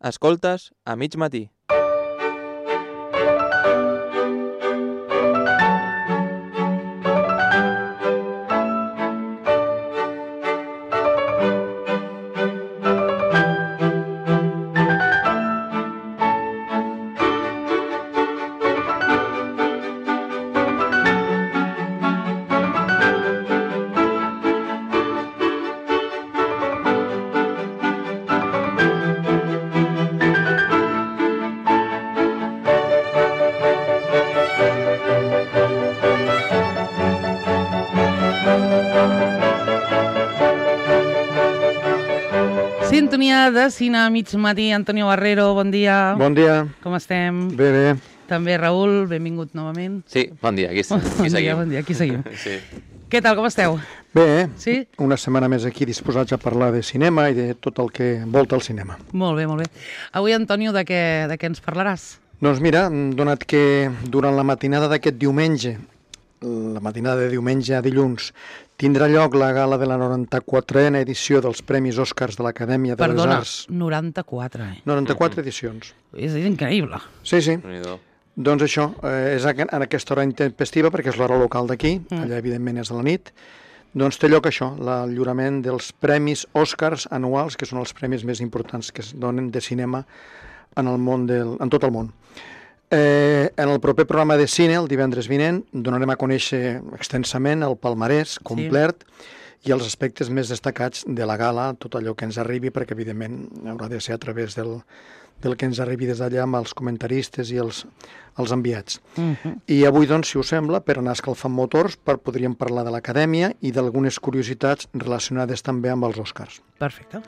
Escoltes a mig matí. Sintonia de cine a mig matí. Antonio Barrero, bon dia. Bon dia. Com estem? Bé, bé. També Raül, benvingut novament. Sí, bon dia, aquí seguim. Bon dia, aquí seguim. Sí. Què tal, com esteu? Bé, Sí? una setmana més aquí disposats a parlar de cinema i de tot el que envolta el cinema. Molt bé, molt bé. Avui, Antonio, de què ens parlaràs? Doncs mira, donat que durant la matinada d'aquest diumenge, la matinada de diumenge a dilluns, tindrà lloc la gala de la 94a edició dels Premis Oscars de l'Acadèmia de les Arts. 94, 94 edicions. És increïble. Sí, sí. Déu-n'hi-do. Doncs això, és en aquesta hora intempestiva, perquè és l'hora local d'aquí, allà evidentment és de la nit, doncs té lloc això, el lliurament dels Premis Oscars anuals, que són els premis més importants que es donen de cinema en tot el món. En el proper programa de cine, el divendres vinent, donarem a conèixer extensament el palmarès complet i els aspectes més destacats de la gala, tot allò que ens arribi, perquè evidentment haurà de ser a través del que ens arribi des d'allà amb els comentaristes i els enviats. I avui, doncs, si us sembla, per anar escalfant motors, podríem parlar de l'Acadèmia i d'algunes curiositats relacionades també amb els Oscars. Perfecte.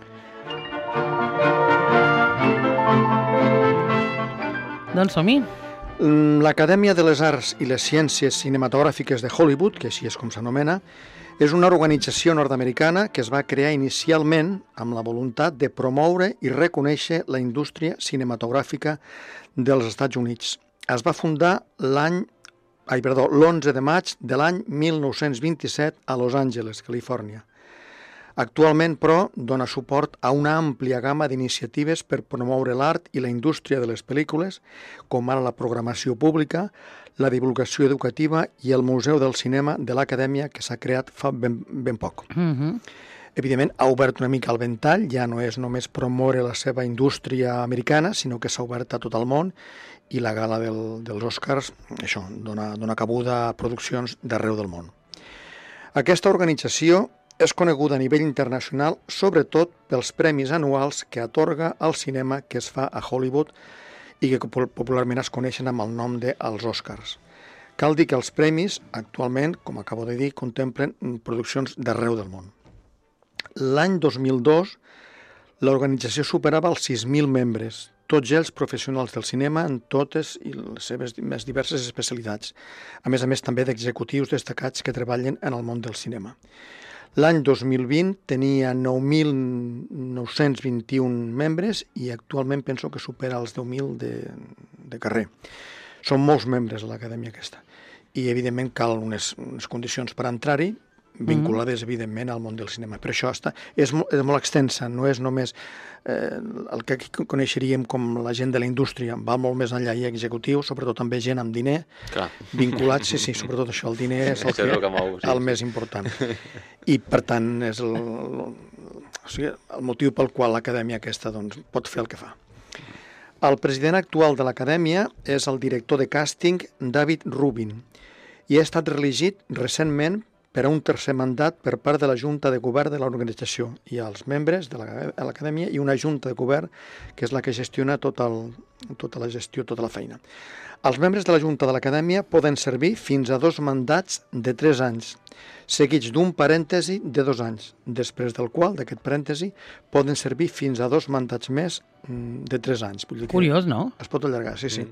Doncs som-hi. L'Acadèmia de les Arts i les Ciències Cinematogràfiques de Hollywood, que així és com s'anomena, és una organització nord-americana que es va crear inicialment amb la voluntat de promoure i reconèixer la indústria cinematogràfica dels Estats Units. Es va fundar l'11 de maig de l'any 1927 a Los Angeles, Califòrnia. Actualment, però, dona suport a una àmplia gamma d'iniciatives per promoure l'art i la indústria de les pel·lícules, com ara la programació pública, la divulgació educativa i el Museu del Cinema de l'Acadèmia, que s'ha creat fa ben poc. Evidentment, ha obert una mica el ventall, ja no és només promoure la seva indústria americana, sinó que s'ha obert a tot el món, i la gala dels Oscars, això, dona cabuda a produccions d'arreu del món. Aquesta organització és coneguda a nivell internacional sobretot pels premis anuals que atorga al cinema que es fa a Hollywood i que popularment es coneixen amb el nom dels Oscars. Cal dir que els premis actualment, com acabo de dir, contemplen produccions d'arreu del món. L'any 2002 l'organització superava els 6.000 membres, tots ells professionals del cinema en totes les seves més diverses especialitats, a més també d'executius destacats que treballen en el món del cinema. L'any 2020 tenia 9.921 membres i actualment penso que supera els 10.000 de carrer. Són molts membres a l'acadèmia aquesta. I, evidentment, cal unes condicions per entrar-hi, vinculades, evidentment, al món del cinema. Per això és molt extensa, no és només el que coneixeríem com la gent de la indústria, va molt més enllà, hi ha executius, sobretot també gent amb diner, vinculats, sí, sobretot això, el diner és el més important. I, per tant, és el motiu pel qual l'acadèmia aquesta pot fer el que fa. El president actual de l'acadèmia és el director de càsting David Rubin i ha estat reelegit recentment per a un tercer mandat per part de la Junta de Govern de l'organització. Hi ha els membres de l'acadèmia i una Junta de Govern que és la que gestiona tota la gestió, tota la feina. Els membres de la Junta de l'Acadèmia poden servir fins a 2 mandats de 3 anys, seguits d'un parèntesi de 2 anys, després del qual, d'aquest parèntesi, poden servir fins a 2 mandats més de 3 anys. Curiós, no? Es pot allargar, sí.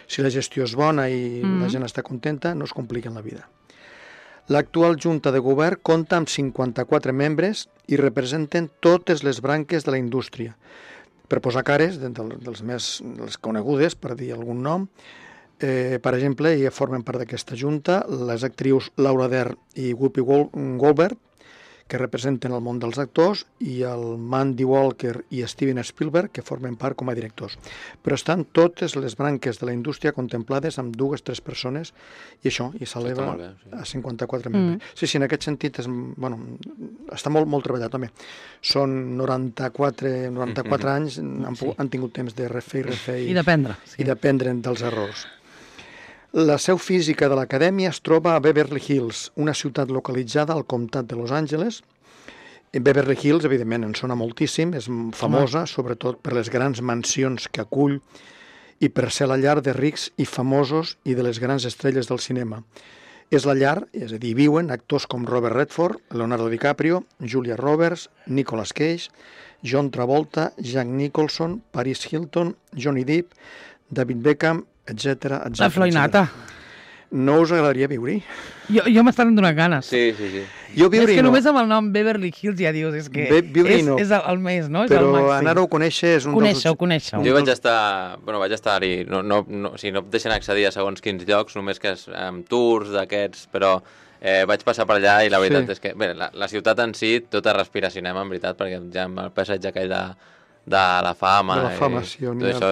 Si la gestió és bona i la gent està contenta, no es compliquen la vida. L'actual Junta de Govern compta amb 54 membres i representen totes les branques de la indústria. Per posar cares, dels més conegudes, per dir algun nom, per exemple, ja formen part d'aquesta junta les actrius Laura Dern i Whoopi Goldberg, que representen el món dels actors, i el Mandy Walker i Steven Spielberg, que formen part com a directors. Però estan totes les branques de la indústria contemplades amb 2-3 persones, i això, i s'eleva a 54 membres. Sí, en aquest sentit està molt treballat, home. Són 94 anys, han tingut temps de refer i d'aprendre. I d'aprendre dels errors. La seu física de l'acadèmia es troba a Beverly Hills, una ciutat localitzada al comtat de Los Angeles. Beverly Hills, evidentment, en sona moltíssim, és famosa, sobretot per les grans mansions que acull i per ser la llar de rics i famosos i de les grans estrelles del cinema. És la llar, és a dir, viuen actors com Robert Redford, Leonardo DiCaprio, Julia Roberts, Nicolas Cage, John Travolta, Jack Nicholson, Paris Hilton, Johnny Depp, David Beckham, etc. La floinata. No us agradaria viure-hi? Jo m'estan donant ganes. Sí. Jo viure-hi és que no. només amb el nom Beverly Hills ja dius, és que és el més, no? És però el màxim. anar-ho a conèixer és un Conèixer-ho. Jo vaig estar-hi, si no et deixen accedir a segons quins llocs, només que és amb tours d'aquests, però vaig passar per allà i la veritat és que, bé, la ciutat en si tota respira cinema, en veritat, perquè ja amb el passeig aquell de la fama. De la fama, sí. Tot això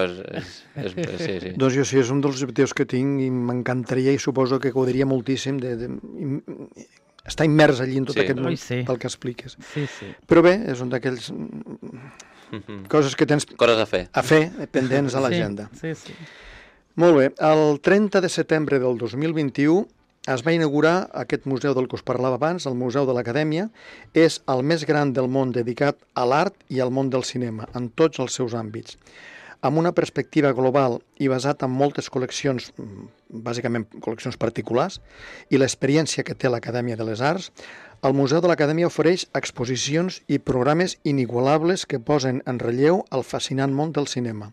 sí. Doncs jo sí, és un dels objectius que tinc i m'encantaria i suposo que gaudiria moltíssim estar immers allí en tot aquest món pel que expliques. Sí. Però bé, és un d'aquells coses que tens coses a fer pendents a l'agenda. Sí. Molt bé, el 30 de setembre del 2021 es va inaugurar aquest museu del que us parlava abans, el Museu de l'Acadèmia. És el més gran del món dedicat a l'art i al món del cinema, en tots els seus àmbits. Amb una perspectiva global i basat en moltes col·leccions, bàsicament col·leccions particulars, i l'experiència que té l'Acadèmia de les Arts, el Museu de l'Acadèmia ofereix exposicions i programes inigualables que posen en relleu el fascinant món del cinema.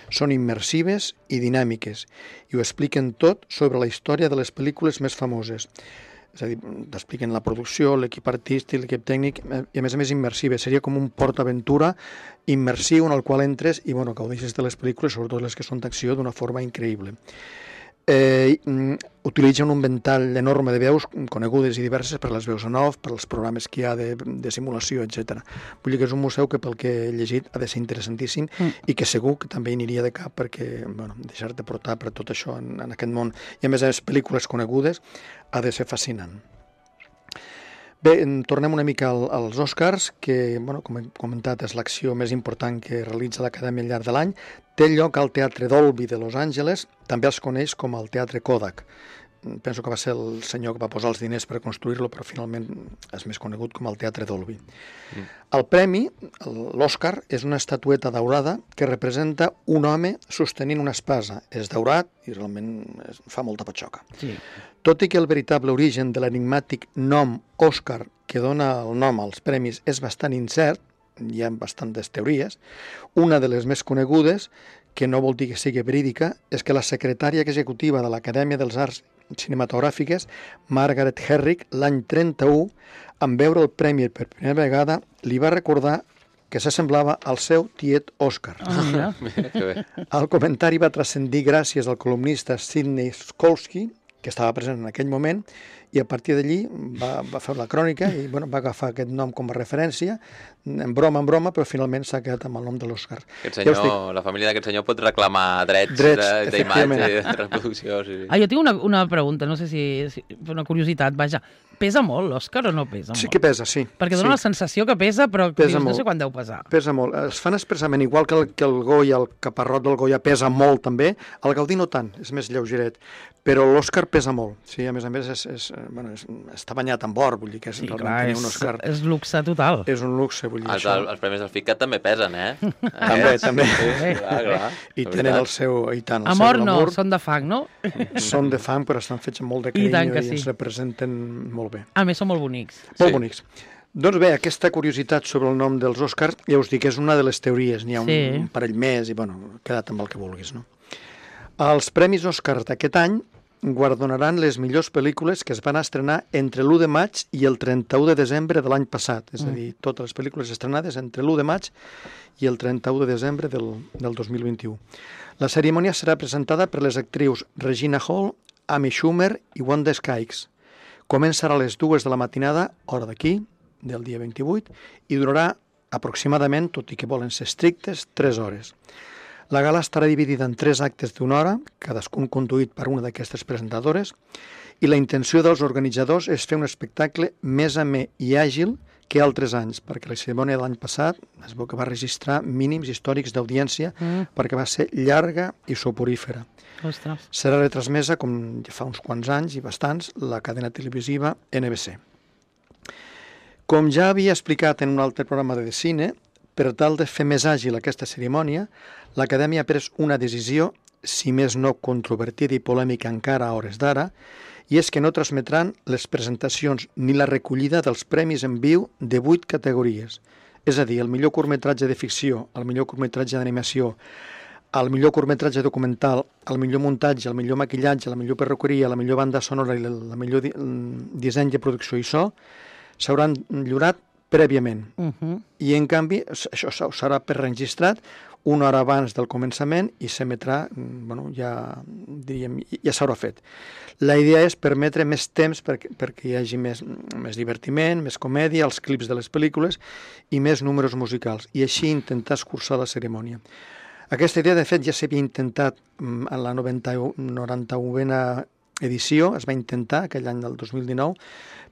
Són immersives i dinàmiques i ho expliquen tot sobre la història de les pel·lícules més famoses. És a dir, t'expliquen la producció, l'equip artístic, l'equip tècnic, i a més immersives. Seria com un PortAventura immersiu en el qual entres i gaudeixes de les pel·lícules, sobretot les que són d'acció, d'una forma increïble. Utilitzen un ventall enorme de veus conegudes i diverses per les veus en off, per als programes que hi ha de simulació, etc. Vull dir que és un museu que pel que he llegit ha de ser interessantíssim i que segur que també hi aniria de cap perquè deixar-te portar per tot això en aquest món i a més pel·lícules conegudes ha de ser fascinant. Bé, tornem una mica als Oscars, que, com he comentat, és l'acció més important que realitza l'Acadèmia al llarg de l'any. Té lloc al Teatre Dolby de Los Angeles, també es coneix com el Teatre Kodak. Penso que va ser el senyor que va posar els diners per construir-lo, però finalment és més conegut com el Teatre Dolby. El premi, l'Oscar, és una estatueta daurada que representa un home sostenint una espasa. És daurat i realment fa molta patxoca. Sí. Tot i que el veritable origen de l'enigmàtic nom Òscar que dona el nom als premis és bastant incert, hi ha bastantes teories, una de les més conegudes, que no vol dir que sigui verídica, és que la secretària executiva de l'Acadèmia dels Arts Cinematogràfiques, Margaret Herrick, l'any 31, en veure el premi per primera vegada, li va recordar que s'assemblava al seu tiet Òscar. El comentari va transcendir gràcies al columnista Sidney Skolsky, que estava present en aquell moment, i a partir d'allí va fer la crònica i va agafar aquest nom com a referència, en broma, però finalment s'ha quedat amb el nom de l'Òscar. La família d'aquest senyor pot reclamar drets d'imatge i de reproducció. Sí. Jo tinc una pregunta, no sé si una curiositat, vaja. Pesa molt l'Òscar o no pesa molt? Sí que pesa, sí. Perquè dona la sensació que pesa, però no sé quant deu pesar. Pesa molt. Es fan expressament, igual que el Goya, el caparrot del Goya pesa molt també, el Gaudí no tant, és més lleugeret, però l'Òscar pesa molt. Sí, a més està banyat en or, vull dir que és realment tenir un Òscar. És luxe total. És un luxe, vull dir això. Els premis del FICAT també pesen, També. Clar. I tenen el seu... Amor no, són de fang, no? Són de fang, però estan fets amb molt de carinyo i ens representen molt bé. A més, són molt bonics. Molt bonics. Doncs bé, aquesta curiositat sobre el nom dels Oscars, ja us dic, és una de les teories. N'hi ha un parell més i, queda't amb el que vulguis, no? Els Premis Oscars d'aquest any guardonaran les millors pel·lícules que es van estrenar entre l'1 de maig i el 31 de desembre de l'any passat. És a dir, totes les pel·lícules estrenades entre l'1 de maig i el 31 de desembre del 2021. La cerimònia serà presentada per les actrius Regina Hall, Amy Schumer i Wanda Sykes. Començarà a les 2 de la matinada, hora d'aquí, del dia 28 i durarà aproximadament, tot i que volen ser estrictes, 3 hores. La gala estarà dividida en 3 actes d'1 hora, cadascun conduït per una d'aquestes presentadores, i la intenció dels organitzadors és fer un espectacle més amè i àgil que altres anys, perquè la cerimònia de l'any passat es veu que va registrar mínims històrics d'audiència perquè va ser llarga i soporífera. Ostres. Serà retransmesa, com ja fa uns quants anys i bastants, la cadena televisiva NBC. Com ja havia explicat en un altre programa de cine, per tal de fer més àgil aquesta cerimònia, l'Acadèmia ha pres una decisió, si més no controvertida i polèmica encara a hores d'ara, i és que no transmetran les presentacions ni la recollida dels premis en viu de 8 categories. És a dir, el millor curtmetratge de ficció, el millor curtmetratge d'animació, el millor curtmetratge documental, el millor muntatge, el millor maquillatge, la millor perruqueria, la millor banda sonora i el millor disseny de producció i so, s'hauran lliurat prèviament. I, en canvi, això serà preregistrat una hora abans del començament i s'emetrà, ja s'haurà fet. La idea és permetre més temps perquè hi hagi més divertiment, més comèdia, els clips de les pel·lícules i més números musicals, i així intentar escurçar la cerimònia. Aquesta idea, de fet, ja s'havia intentat en la 91a edició, es va intentar aquell any del 2019,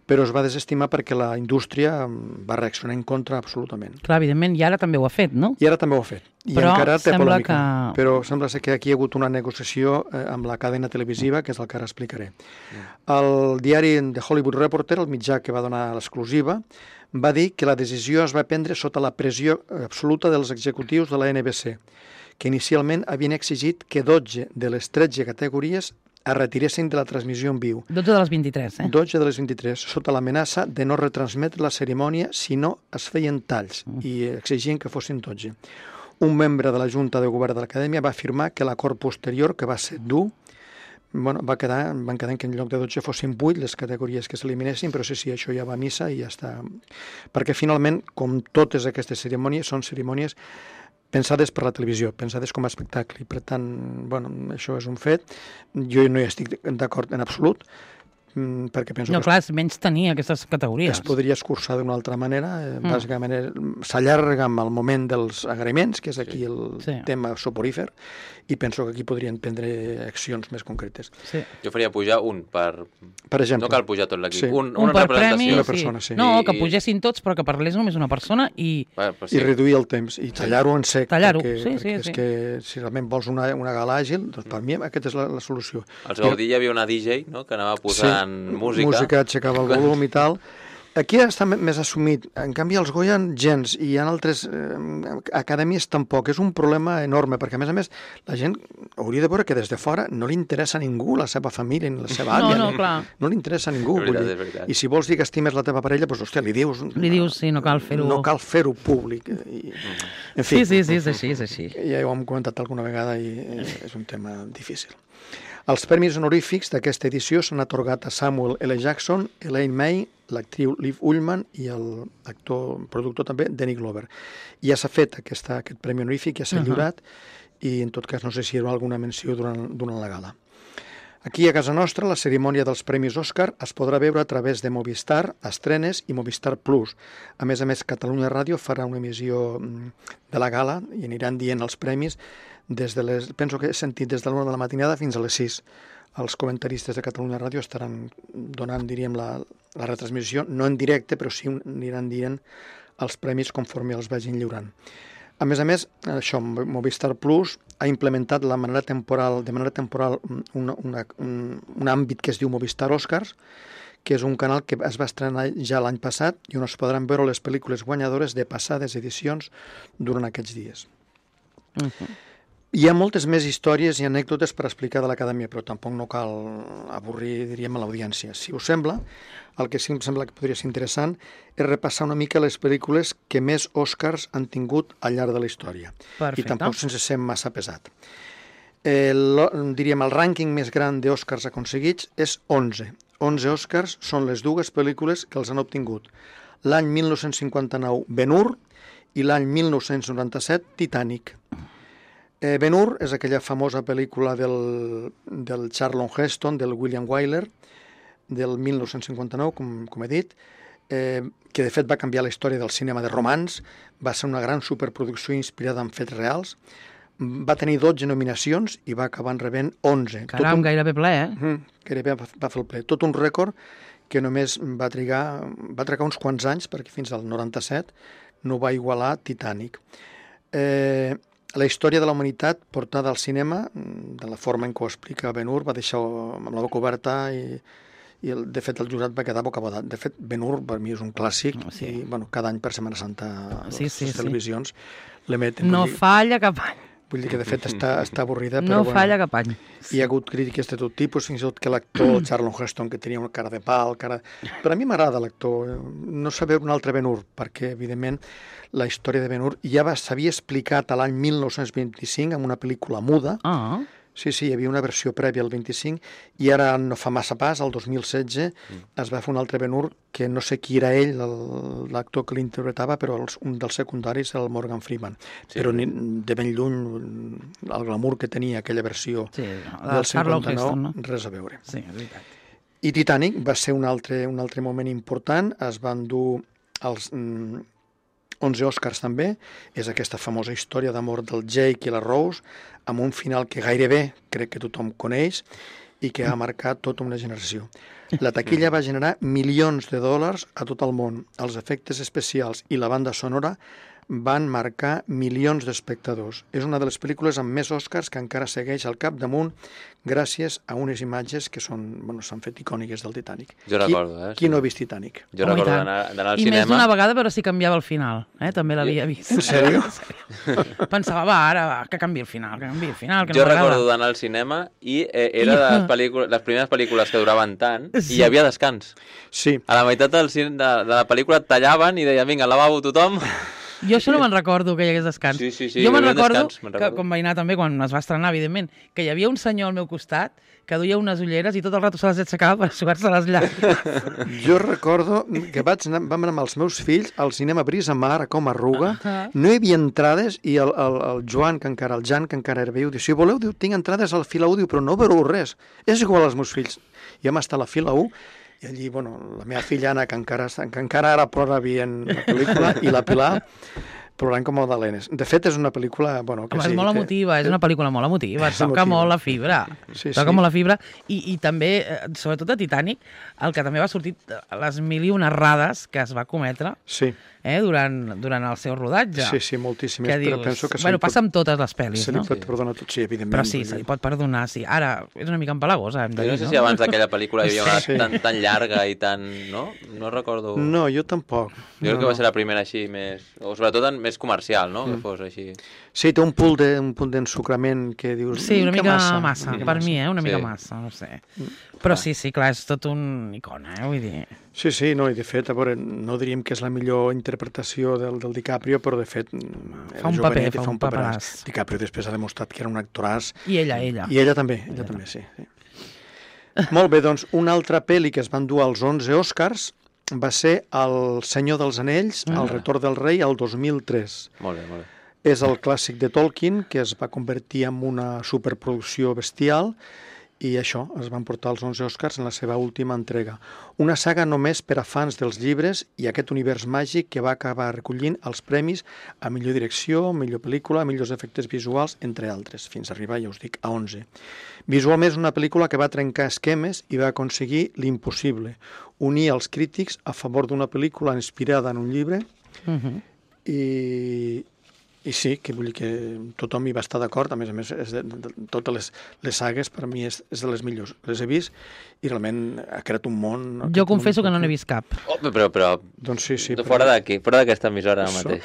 però es va desestimar perquè la indústria va reaccionar en contra absolutament. Clar, evidentment, i ara també ho ha fet, no? I ara també ho ha fet. I però encara té polèmica. Que... Però sembla ser que aquí hi ha hagut una negociació amb la cadena televisiva, que és el que ara explicaré. El diari The Hollywood Reporter, el mitjà que va donar l'exclusiva, va dir que la decisió es va prendre sota la pressió absoluta dels executius de la NBC, que inicialment havien exigit que 12 de les 13 categories es retiressin de la transmissió en viu. 12 de les 23, 12 de les 23, sota l'amenaça de no retransmetre la cerimònia si no es feien talls, i exigien que fossin 12. Un membre de la Junta de Govern de l'Acadèmia va afirmar que l'acord posterior, que va ser dur, van quedar que en lloc de 12 fossin 8 les categories que s'eliminessin, però sí, això ja va a missa i ja està. Perquè finalment, com totes aquestes cerimònies, són cerimònies pensades per la televisió, pensades com a espectacle. I per tant, això és un fet. Jo no hi estic d'acord en absolut, perquè penso que clar, és menys tenir aquestes categories. Es podria escurçar d'una altra manera. Bàsicament s'allarga amb el moment dels agraïments, que és aquí el tema soporífer, i penso que aquí podrien prendre accions més concretes. Sí. Jo faria pujar un per exemple. No cal pujar tot l'equip. Sí. Una per representació. Premi, una persona, sí. No, que pugessin tots, però que parlés només una persona i... I reduir el temps, i tallar-ho en sec. Tallar-ho, perquè és que si realment vols una gala àgil, doncs per mi aquesta és la solució. Als Gaudí hi havia una DJ, no?, que anava posant música. Música, aixecava el volum i tal. Aquí està més assumit. En canvi, els Goya gens, i hi ha altres acadèmies tampoc. És un problema enorme, perquè, a més, la gent hauria de veure que des de fora no li interessa a ningú, la seva família, ni la seva àvia. No li interessa a ningú. És veritat. I si vols dir que estimes la teva parella, doncs, hòstia, li dius... Li dius, sí, no cal fer-ho... No cal fer-ho públic. En fi, sí, és així. Ja ho hem comentat alguna vegada i és un tema difícil. Els premis honorífics d'aquesta edició s'han atorgat a Samuel L. Jackson, Elaine May, l'actriu Liv Ullmann i l'actor, productor també, Danny Glover. Ja s'ha fet aquest premi honorífic, ja s'ha lliurat, i en tot cas no sé si hi haurà alguna menció durant la gala. Aquí a casa nostra la cerimònia dels Premis Òscar es podrà veure a través de Movistar, Estrenes i Movistar Plus. A més, Catalunya Ràdio farà una emissió de la gala i aniran dient els premis penso que he sentit des de l'1 de la matinada fins a les 6. Els comentaristes de Catalunya Ràdio estaran donant, diríem, la retransmissió, no en directe, però sí aniran dient els premis conforme els vagin lliurant. A més, això, Movistar Plus ha implementat de manera temporal un àmbit que es diu Movistar Oscars, que és un canal que es va estrenar ja l'any passat i on es podran veure les pel·lícules guanyadores de passades edicions durant aquests dies. Hi ha moltes més històries i anècdotes per explicar de l'Acadèmia, però tampoc no cal avorrir, diríem, a l'audiència. Si us sembla, el que sí em sembla que podria ser interessant és repassar una mica les pel·lícules que més Oscars han tingut al llarg de la història. Perfecte. I tampoc sense ser massa pesat. Diríem, el rànquing més gran d'Oscars aconseguits és 11. 11 Oscars són les dues pel·lícules que els han obtingut. L'any 1959, Ben-Hur, i l'any 1997, Titanic. Ben-Hur és aquella famosa pel·lícula del Charlton Heston, del William Wyler, del 1959, com he dit. que de fet va canviar la història del cinema de romans, va ser una gran superproducció inspirada en fets reals, va tenir 12 nominacions i va acabar rebent 11. Caram, gairebé ple, Gairebé va fer el ple. Tot un rècord que només va trigar uns quants anys, perquè fins al 97 no va igualar Titanic. La història de la humanitat portada al cinema, de la forma en què ho explica Ben-Hur, va deixar amb la boca oberta i de fet el jurat va quedar bocabadat. De fet, Ben-Hur per mi és un clàssic i cada any per Setmana Santa les televisions l'emeten. No falla cap any. Vull dir que de fet està avorrida. No falla cap any. Hi ha hagut crítiques de tot tipus, fins i tot que l'actor Charlton Heston, que tenia una cara de pal, però a mi m'agrada l'actor. No saber un altre Ben-Hur, perquè evidentment la història de Ben-Hur ja s'havia explicat a l'any 1925 en una pel·lícula muda. Sí, hi havia una versió prèvia al 25 i ara no fa massa pas, el 2016, es va fer un altre Ben-Hur que no sé qui era ell, l'actor que l'interpretava, però un dels secundaris era el Morgan Freeman. Però de ben lluny el glamour que tenia aquella versió del 59, res a veure. Sí, és veritat. I Titanic va ser un altre moment important, es van dur els 11 Oscars també, és aquesta famosa història d'amor del Jake i la Rose, amb un final que gairebé crec que tothom coneix i que ha marcat tota una generació. La taquilla va generar milions de dòlars a tot el món. Els efectes especials i la banda sonora van marcar milions d'espectadors. És una de les pel·lícules amb més Oscars que encara segueix al capdamunt gràcies a unes imatges que s'han fet icòniques del Titanic. Jo recordo, Qui no ha vist Titanic? Jo recordo d'anar al cinema. I més d'una vegada, però si canviava el final. També l'havia vist. En sèrio? Pensava, ara, que canvi el final, que no Jo recordo d'anar al cinema i era de les primeres pel·lícules que duraven tant i hi havia descans. Sí. A la meitat de la pel·lícula et tallaven i deien, vinga, al lavabo tothom. Jo això no me'n recordo, que hi hagués descans. Sí, jo me'n recordo, que quan vaig anar també, quan es va estrenar, evidentment, que hi havia un senyor al meu costat que duia unes ulleres i tot el rato se les aixecava per suar-se les llàgrimes. Jo recordo que vam anar amb els meus fills al cinema Brisa Mar, a Com Arruga, no hi havia entrades i el Jan, que encara era viu, diu, si voleu, tinc entrades al fila 1, però no veureu res. És igual als meus fills. I vam estar a la fila 1 i allí, la meva filla Anna, que encara ara plora veient la pel·lícula, i la Pilar plorant com Magdalenes. De fet, és una pel·lícula... És molt emotiva, és una pel·lícula molt emotiva, toca molt la fibra. Toca molt la fibra. I també, sobretot a Titanic, el que també va sortir, les mil i unes errades que es va cometre durant el seu rodatge. Sí, moltíssimes. Però penso que passa amb totes les pel·lis, no? Se li pot perdonar tot, sí, evidentment. Però sí, se li pot perdonar, sí. Ara, és una mica empalagosa, hem de dir, no? No sé si abans d'aquella pel·lícula hi havia una tan llarga i tan... No? No recordo... No, jo tampoc. Jo crec que va ser la primera així més... O sobretot més comercial, no? Que fos així... Sí, té un punt d'ensucrament que dius... Sí, una mica massa. Per mi, una mica massa, no sé. Però sí, clar, és tot un icona, vull dir... Sí, no, i de fet, a veure, no diríem que és la millor interpretació del DiCaprio, però de fet... Fa un paperàs. DiCaprio després ha demostrat que era un actoràs. I ella. I ella també, sí. Molt bé, doncs, una altra pel·li que es van dur als 11 Oscars va ser El Senyor dels Anells, El Retorn del Rei, el 2003. Molt bé. És el clàssic de Tolkien, que es va convertir en una superproducció bestial, i això, es van portar els 11 Oscars en la seva última entrega. Una saga només per a fans dels llibres i aquest univers màgic que va acabar recollint els premis a millor direcció, millor pel·lícula, millors efectes visuals, entre altres, fins a arribar, ja us dic, a 11. Visualment és una pel·lícula que va trencar esquemes i va aconseguir l'impossible, unir els crítics a favor d'una pel·lícula inspirada en un llibre i sí, que vull dir que tothom hi va estar d'acord, a més, totes les sagues per mi és de les millors. Les he vist i realment ha creat un món... Jo confesso que no n'he vist cap. Però doncs sí, fora d'aquí, fora d'aquesta emissora mateix.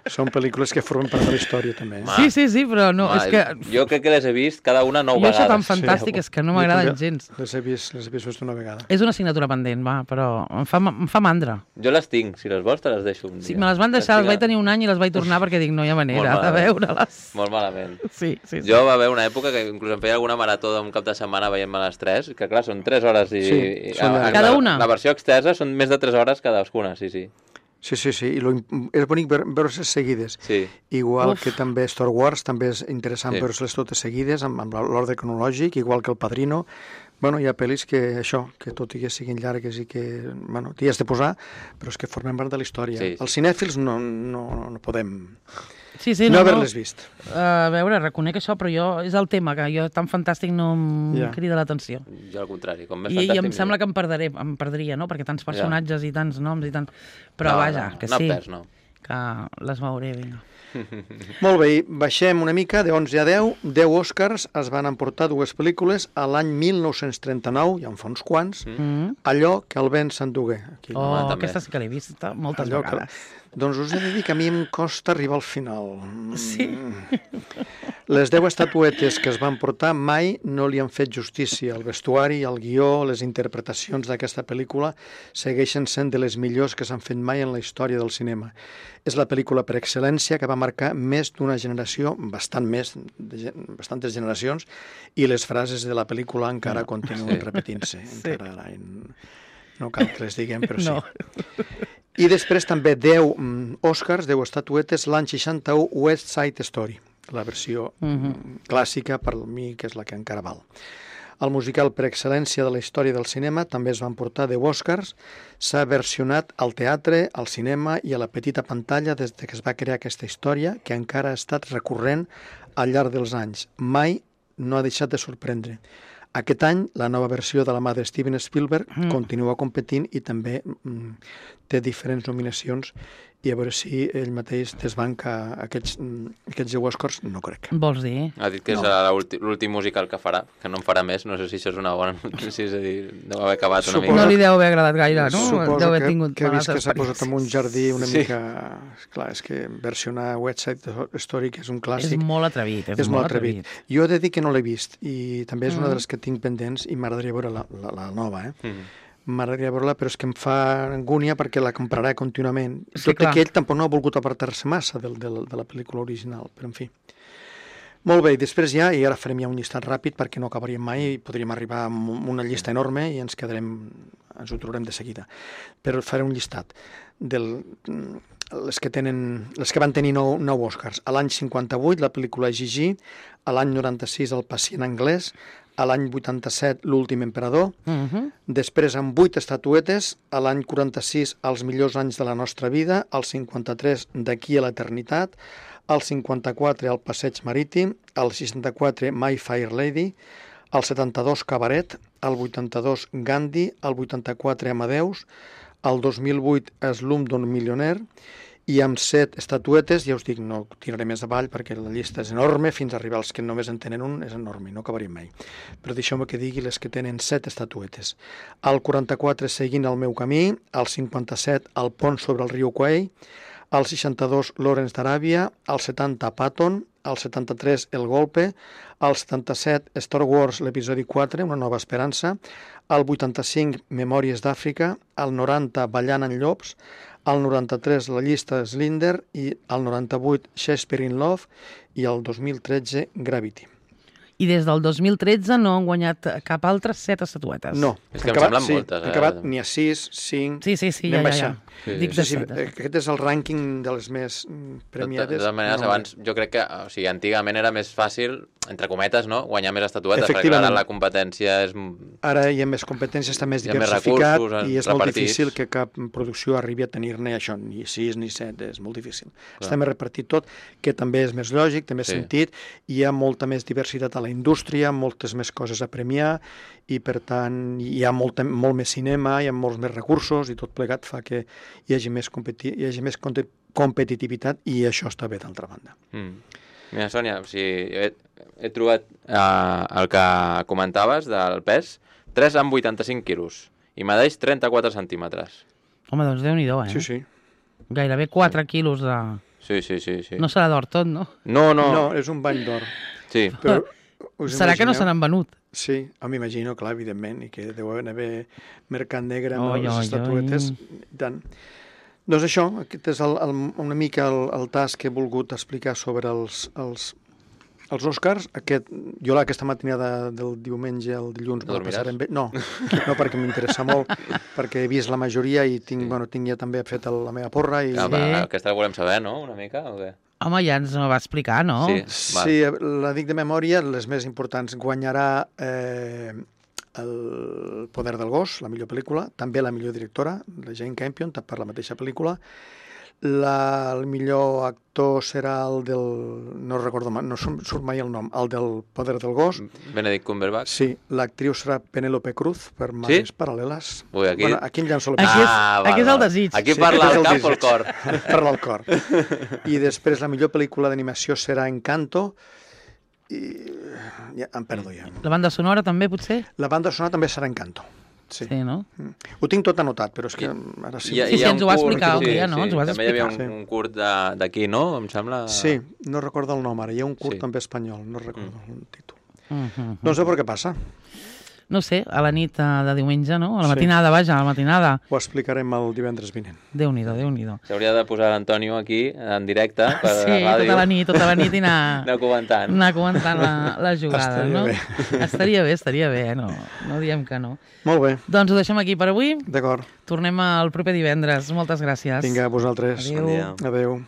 Són pel·lícules que formen part de la història, també. Sí, però no, és que... Jo crec que les he vist cada una 9 vegades. Jo això tan fantàstic és que no m'agraden gens. Les he vist més d'una vegada. És una assignatura pendent, però em fa mandra. Jo les tinc, si les vols te les deixo un dia. Sí, me les van deixar, les vaig tenir un any i les vaig tornar perquè dic, no hi ha manera de veure-les. Molt malament. Sí. Jo va haver una època que inclús em feia alguna marató d'un cap de setmana veient-me les 3, que clar, són 3 hores i... Cada una? La versió extensa són més de 3 hores cadascuna, sí. Sí, i és bonic veure-les seguides. Sí. Igual que també Star Wars, també és interessant veure-les totes seguides, amb l'ordre cronològic, igual que El Padrino. Bueno, hi ha pel·lis que tot i que siguin llargues i que, bueno, t'hi has de posar, però és que formen part de la història. Sí. Els cinèfils no podem no haver-les vist. A veure, reconec això, però és el tema, que jo tan fantàstic no em crida l'atenció. Jo al contrari, com més I fantàstic... em sembla que em perdria, no? Perquè tants personatges i tants noms i tant... Però vaja, que sí, que les veuré, vinga. Molt bé, baixem una mica, de 11 a 10, 10 Oscars es van emportar dues pel·lícules a l'any 1939, ja en fa uns quants, Allò que el vent s'endugué. Aquesta sí que l'he vist moltes vegades. Doncs us he de dir que a mi em costa arribar al final. Sí? Les 10 estatuetes que es van portar mai no li han fet justícia. El vestuari, el guió, les interpretacions d'aquesta pel·lícula segueixen sent de les millors que s'han fet mai en la història del cinema. És la pel·lícula per excel·lència que va marcar més d'una generació, bastantes generacions, i les frases de la pel·lícula encara continuen repetint-se. No cal que les diguem, però sí. No. I després també 10 Oscars, 10 estatuetes, l'any 61 West Side Story, la versió clàssica per mi, que és la que encara val. El musical per excel·lència de la història del cinema també es van portar 10 Oscars, s'ha versionat al teatre, al cinema i a la petita pantalla des que es va crear aquesta història, que encara ha estat recurrent al llarg dels anys. Mai no ha deixat de sorprendre. Aquest any, la nova versió de la mà de Steven Spielberg continua competint i també té diferents nominacions i a veure si ell mateix desbanca aquests 10 Oscars, no crec. Vols dir? Ha dit que és l'últim musical que farà, que no en farà més, no sé si això és una bona notícia, és a dir, deu haver acabat una mica. No li deu haver agradat gaire, no? Suposo que ha vist que s'ha posat en un jardí una mica... Clar, és que versionar West Side Story, que és un clàssic... És molt atrevit, és molt atrevit. Jo he de dir que no l'he vist, i també és una de les que tinc pendents, i m'agradaria veure la nova, M'agradaria veure-la, però és que em fa angúnia perquè la comprarà contínuament. Sí, tot i que ell tampoc no ha volgut apartar-se massa de la pel·lícula original, però en fi. Molt bé, i després ja, i ara farem ja un llistat ràpid perquè no acabaríem mai i podríem arribar a una llista enorme i ens ho trobarem de seguida. Però faré un llistat les que van tenir 9 Oscars. A l'any 58, la pel·lícula Gigi, a l'any 96, El pacient anglès, a l'any 87, L'últim emperador, després amb 8 estatuetes, a l'any 46, Els millors anys de la nostra vida, al 53, D'aquí a l'eternitat, al 54, El passeig marítim, al 64, My Fair Lady, al 72, Cabaret, al 82, Gandhi, al 84, Amadeus, al 2008, Slumdog Millionaire, i amb 7 estatuetes, ja us dic, no tiraré més avall perquè la llista és enorme, fins a arribar als que només en tenen un, és enorme, no acabaríem mai. Però deixeu-me que digui les que tenen 7 estatuetes. Al 44, Seguint el meu camí, al 57, El pont sobre el riu Kwai, al 62, Lawrence d'Aràbia, al 70, Patton, al 73, El golpe, al 77, Star Wars, l'episodi 4, Una nova esperança, al 85, Memòries d'Àfrica, al 90, Ballant en llops, al 93, La llista de Schindler, i al 98, Shakespeare in Love, i al 2013, Gravity. I des del 2013 no han guanyat cap altre 7 estatuetes. No. És que em semblen moltes. Han acabat n'hi ha 6, 5... Sí, ja. Dic de 7. Aquest és el rànquing de les més premiades. De totes maneres, abans jo crec que, antigament era més fàcil, entre cometes, no?, guanyar més estatuetes, perquè ara la competència és... Ara hi ha més competència, està més diversificat, i és molt difícil que cap producció arribi a tenir-ne això, ni 6 ni 7, és molt difícil. Està més repartit tot, que també és més lògic, té més sentit, hi ha molta més diversitat a la indústria, moltes més coses a premiar, i per tant hi ha molt més cinema, hi ha molts més recursos, i tot plegat fa que hi hagi més competitivitat, i això està bé d'altra banda. Mira, Sònia, he trobat el que comentaves del pes, 3 amb 85 quilos, i medeix 34 centímetres. Home, doncs Déu-n'hi-do, Sí. Gairebé 4 quilos de... Sí. No serà d'or tot, no? No, és un bany d'or. Sí. Però serà que no se n'han venut? Sí, m'imagino, clar, evidentment, i que deu haver mercat negre amb les estatuetes. Tant. Doncs això, aquest és una mica el tas que he volgut explicar sobre els Oscars. Jo aquesta matinada del diumenge al dilluns... No dormiràs? No, perquè m'interessa molt, perquè he vist la majoria i tinc ja també fet la meva porra. Aquesta la volem saber, no?, una mica, o què? Home, ja ens va explicar, no? Sí, la dic de memòria, les més importants. Guanyarà El poder del gos, la millor pel·lícula, també la millor directora, la Jane Campion, per la mateixa pel·lícula. El millor actor serà el del... no recordo mai, no surt mai el nom, el del poder del gos. Benedict Cumberbatch. Sí, l'actriu serà Penélope Cruz, per Màgies Paral·leles. Ui, aquí... Bueno, aquí em llanço la Aquí és el desig. Aquí parla el cap o el cor? Parla el cor. I després la millor pel·lícula d'animació serà Encanto, i ja em perdo ja. La banda sonora també, potser? La banda sonora també serà Encanto. Sí, no? Ho tinc tot anotat, però és que ara sí. Sí, ens ho va explicar un dia, no? Ens ho vas explicar. També hi havia un curt d'aquí, no? Em sembla... Sí, no recordo el nom ara. Hi ha un curt també espanyol, no recordo el títol. No sé per què passa. No sé, a la nit de diumenge, no? A la matinada, vaja, a la matinada. Ho explicarem el divendres vinent. Déu-n'hi-do, Déu-n'hi-do. S'hauria de posar l'Antonio aquí, en directe, per la ràdio. Sí, tota la nit i anar comentant. Anar comentant la jugada, no? Estaria bé, no diem que no. Molt bé. Doncs ho deixem aquí per avui. D'acord. Tornem el proper divendres. Moltes gràcies. Vinga, a vosaltres. Adéu. Adéu.